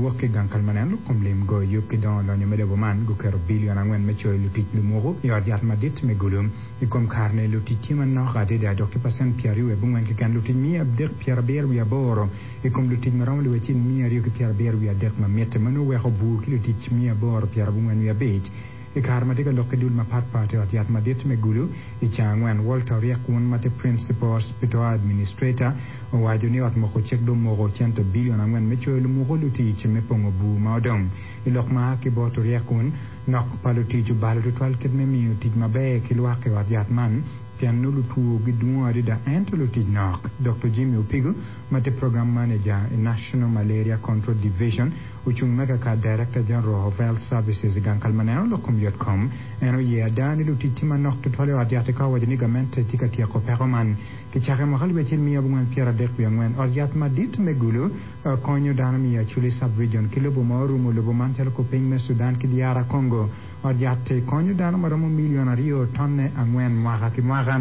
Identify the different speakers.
Speaker 1: Niwok ki i gang kal ma neno lok kom lim, goyo yub ki dongo lonyo me lobo man, guketo bilion angwen me coyo lutic lumuku i ot yat madit me Gulu. I kom kare-ni, lutic tye manok adada dok tye pacent 28 keken, lutic 378 i kom lutic ma romo liwecil 273 ma mitte. Meno oweko bur ki lutic 895. I kare ma tye ka lok ki dul mapat pat i ot yat madit me Gulu i ceng angwen, Walter Oryek-wun ma tye Principal Hospital Administrator owaco ni ot moko cik dong omoko cente bilion angwen me coyo lumuku lutic me pongo bur ma odong. I lok ma a ki bot Oryek-wun, nok pa lutic obalo tutwal kit me miyo tic maber ki lwak i ot yat man pien nongo lutwo gidwong adada ento lutic nok. Doktor Jimmy Opigo ma tye Program Manager i National Malaria Control Division Ocung me kaka Director General of Health Services i gang kal ma neno lok kom yot kom. En oye ada ni lutic tye manok tutwal i ot yat ka owaco ni gamente tye ka tyeko peko man. Kicako i mwaka 1994, ot yat madit me Gulu konyo dano me i Acholi Sub-Region ki lobo ma orumo lobo man calo kupiny me Sudan ki DR Congo. Ot yat-ti konyo dano maromo milion aryo tonne angwen mwaka ki mwaka.